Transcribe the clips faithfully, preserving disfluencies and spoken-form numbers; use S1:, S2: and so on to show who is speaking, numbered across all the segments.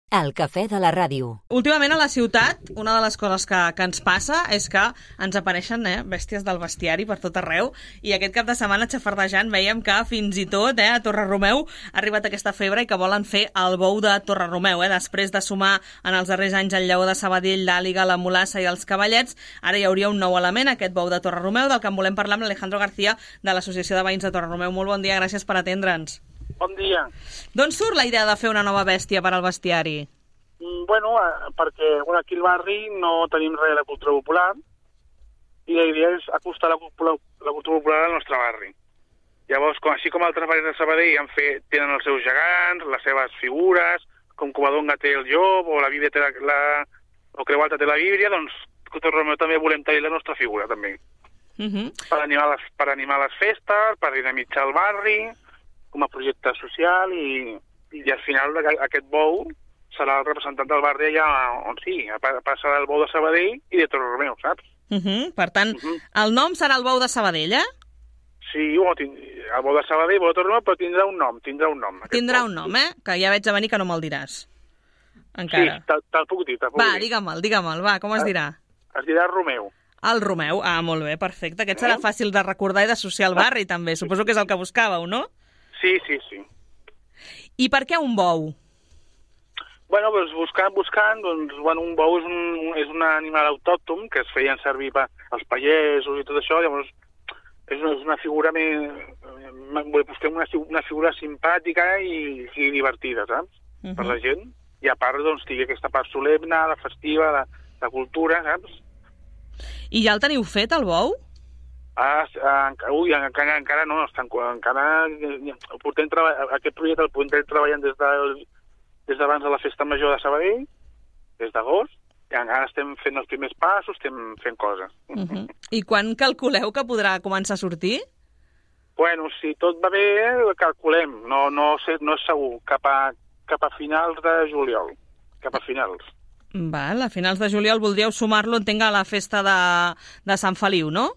S1: El cafè de la ràdio.
S2: Últimament a la ciutat, una de les coses que, que ens passa és que ens apareixen eh, bèsties del bestiari per tot arreu, i aquest cap de setmana, xafardejant, veiem que fins i tot eh, a Torre-Romeu ha arribat aquesta febre i que volen fer el bou de Torre-Romeu. Eh? Després de sumar en els darrers anys el lleó de Sabadell, l'àliga, la mulassa i els cavallets, ara hi hauria un nou element, aquest bou de Torre-Romeu, del que en volem parlar amb l'Alejandro García, de l'Associació de Veïns de Torre-Romeu. Molt bon dia, gràcies per atendre'ns.
S3: Bon dia.
S2: D'on surt la idea de fer una nova bèstia per al bestiari?
S3: Mm, bueno, eh, perquè bueno, aquí al barri no tenim res de la cultura popular i la idea és acostar la, la, la cultura popular al nostre barri. Llavors, com, així com altres barris de Sabadell han fet, tenen els seus gegants, les seves figures, com Covadonga té el llop o la Bíblia té la, la, o Creu Alta té la Bíblia, doncs a Torre-Romeu també volem tenir la nostra figura, també.
S2: Uh -huh.
S3: per, animar les, per animar les festes, per dinamitzar el barri, com a projecte social, i, i al final aquest bou serà el representant del barri allà on sigui, passarà el bou de Sabadell i de Torre-Romeu, saps?
S2: Uh -huh. Per tant, uh -huh. el nom serà el bou de Sabadell, eh?
S3: Sí, o tind... el bou de Sabadell, el bou de Torre-Romeu, però tindrà un nom, tindrà un nom.
S2: Tindrà un nom, eh? Que ja veig a venir que no me'l diràs. Encara.
S3: Sí, te'l puc dir, te'l puc
S2: va,
S3: dir.
S2: digue'm-el, digue'm-el, va, com es dirà?
S3: Es dirà Romeu.
S2: El Romeu, ah, molt bé, perfecte. Aquest serà fàcil de recordar i d'associar al barri, també. Suposo que és el que buscàveu, no?
S3: Sí, sí, sí.
S2: I per què un bou?
S3: Bueno, doncs buscant, buscant, doncs, bueno, un bou és un, és un animal autòcton que es feien servir per als pagesos i tot això, llavors és una, és una figura més, busquem una, una figura simpàtica i, i divertida, saps? Uh -huh. Per la gent. I a part, doncs, tingui aquesta part solemne, la festiva, la, la cultura, saps?
S2: I ja el teniu fet, el bou?
S3: Ah, ui, encara, encara no, estan, encara portem aquest projecte el portem treballant des de, des d'abans de la Festa Major de Sabadell, des d'agost, i encara estem fent els primers passos, estem fent coses.
S2: Uh -huh. I quan calculeu que podrà començar a sortir?
S3: Bueno, si tot va bé, calculem, no, no, sé, no és segur, cap a, cap a finals de juliol, cap a finals.
S2: Val, a finals de juliol voldríeu sumar-lo, entenc, a la festa de, de Sant Feliu, no?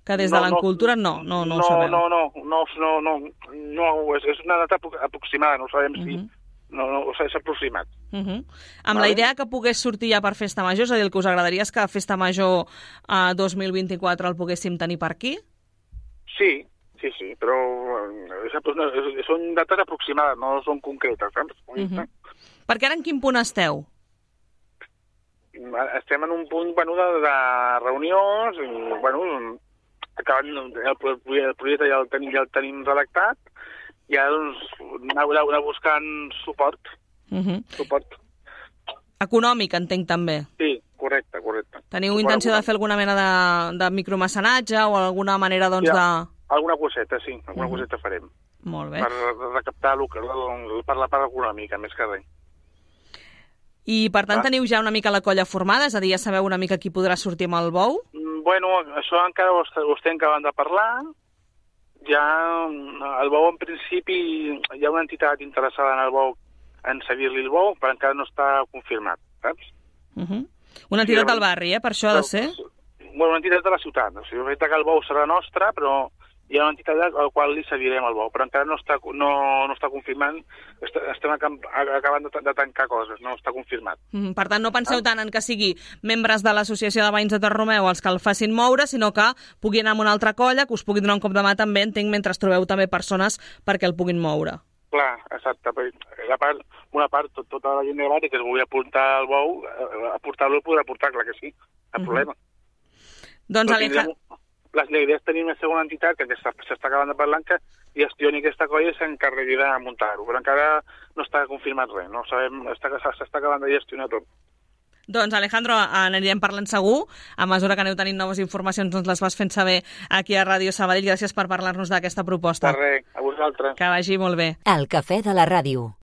S2: Que des de no, l'Encultura no, no, no, no ho sabeu.
S3: No, no, no, no, no, no, és, és una data aproximada, no sabem si... Uh -huh. No, no, o sigui, és aproximat.
S2: Uh -huh. Amb vale. La idea que pogués sortir ja per Festa Major, és a dir, el que us agradaria és que Festa Major eh, dos mil vint-i-quatre el poguéssim tenir per aquí?
S3: Sí, sí, sí, però és, és, són dates aproximades, no són concretes, saps? Uh -huh.
S2: Perquè ara en quin punt esteu?
S3: Estem en un punt, bueno, de, de reunions, i, bueno, acabant el, el projecte ja el tenim, ja el tenim redactat, i ara, doncs, anar, anar buscant suport.
S2: Uh -huh.
S3: suport.
S2: Econòmic, entenc, també.
S3: Sí, correcte, correcte.
S2: Teniu suport intenció de fer alguna mena de, de micromecenatge o alguna manera, doncs,
S3: ja,
S2: de...
S3: Alguna coseta, sí, alguna uh -huh. coseta farem.
S2: Molt bé.
S3: Per recaptar per la part econòmica, més que res.
S2: I, per tant, ah. teniu ja una mica la colla formada? És a dir, ja sabeu una mica qui podrà sortir amb el bou?
S3: Bueno, això encara ho, ho estem acabant de parlar. Ja el bou, en principi, hi ha una entitat interessada en el bou, en cedir-li el bou, però encara no està confirmat, saps?
S2: Uh -huh. Una entitat sí, del barri, eh? Per això ha de ser?
S3: Bueno, una entitat de la ciutat. O sigui, que el bou serà nostre, però hi ha una entitat al qual li cedirem el bou, però encara no està, no, no està confirmant. Estem acabant de tancar coses, no està confirmat.
S2: Mm, per tant, no penseu ah. tant en que sigui membres de l'Associació de Veïns de Torre-Romeu els que el facin moure, sinó que pugui anar amb una altra colla, que us pugui donar un cop de mà també, entenc, mentre trobeu també persones perquè el puguin moure.
S3: Clar, exacte. La part, una part, tot, tota la gent de barri que es vulgui aportar al bou, aportar-lo el podrà aportar, clar que sí, cap mm -hmm. problema.
S2: Doncs, Alejandro...
S3: La idea és tenir una segona entitat que s'està acabant de parlar, que gestioni aquesta colla i s'encarregui de muntar-ho, però encara no està confirmat res, no sabem, s'està acabant de gestionar tot.
S2: Doncs, Alejandro, anirem parlant segur. A mesura que aneu tenint noves informacions, doncs les vas fent saber aquí a Ràdio Sabadell. Gràcies per parlar-nos d'aquesta proposta.
S3: De res, a vosaltres.
S2: Que vagi molt bé.
S1: El cafè de la ràdio.